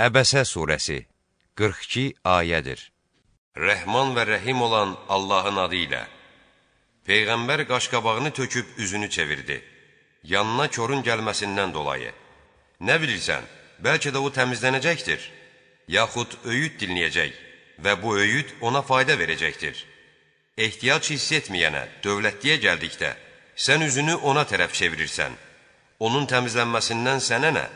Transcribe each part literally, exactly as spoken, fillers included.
Əbəsə surəsi qırx iki ayədir. Rəhman və rəhim olan Allahın adı ilə. Peyğəmbər qaşqabağını töküb üzünü çevirdi. Yanına körün gəlməsindən dolayı. Nə bilirsən, bəlkə də o təmizlənəcəkdir. Yaxud öyüd dinləyəcək və bu öyüd ona fayda verəcəkdir. Ehtiyac hiss etməyənə, dövlətliyə gəldikdə, sən üzünü ona tərəf çevirirsən. Onun təmizlənməsindən sənə nə?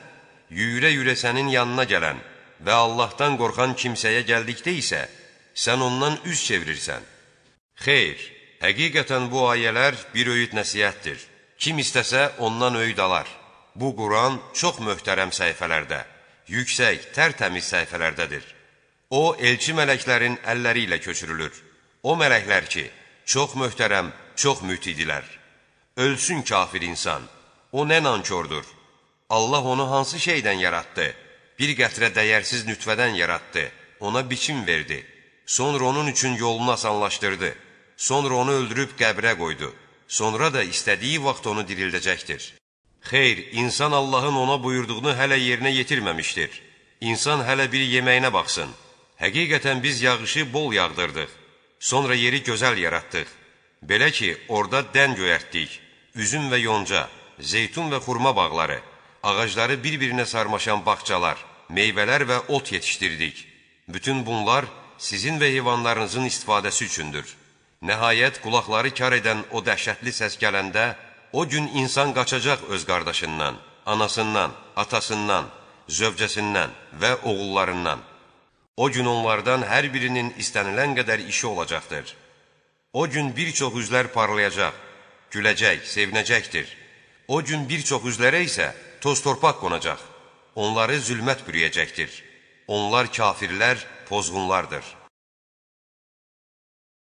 Yüyürə-yüyürə sənin yanına gələn və Allahdan qorxan kimsəyə gəldikdə isə, sən ondan üz çevirirsən. Xeyr, həqiqətən bu ayələr bir öyüd nəsihətdir. Kim istəsə ondan öyüd alar. Bu Quran çox möhtərəm səhifələrdə, yüksək, tərtəmiz səhifələrdədir. O, elçi mələklərin əlləri ilə köçürülür. O mələklər ki, çox möhtərəm, çox mütidilər. Ölsün kafir insan, o nə nankordur. Allah onu hansı şeydən yaratdı? Bir qətrə dəyərsiz nütvədən yaratdı, ona biçim verdi. Sonra onun üçün yolunu asanlaşdırdı. Sonra onu öldürüb qəbrə qoydu. Sonra da istədiyi vaxt onu dirildəcəkdir. Xeyr, insan Allahın ona buyurduğunu hələ yerinə yetirməmişdir. İnsan hələ bir yeməyinə baxsın. Həqiqətən biz yağışı bol yağdırdıq. Sonra yeri gözəl yaratdıq. Belə ki, orada dən göyərtdik. Üzüm və yonca, zeytun və xurma bağları, ağacları bir-birinə sarmaşan bağçalar, meyvələr və ot yetişdirdik. Bütün bunlar sizin və heyvanlarınızın istifadəsi üçündür. Nəhayət, qulaqları kar edən o dəhşətli səs gələndə, o gün insan qaçacaq öz qardaşından, anasından, atasından, zövcəsindən və oğullarından. O gün onlardan hər birinin istənilən qədər işi olacaqdır. O gün bir çox üzlər parlayacaq, güləcək, sevinəcəkdir. O gün bir çox üzlərə isə toz torpaq qonacaq. Onları zülmət bürüyəcəkdir. Onlar kafirlər, pozğunlardır.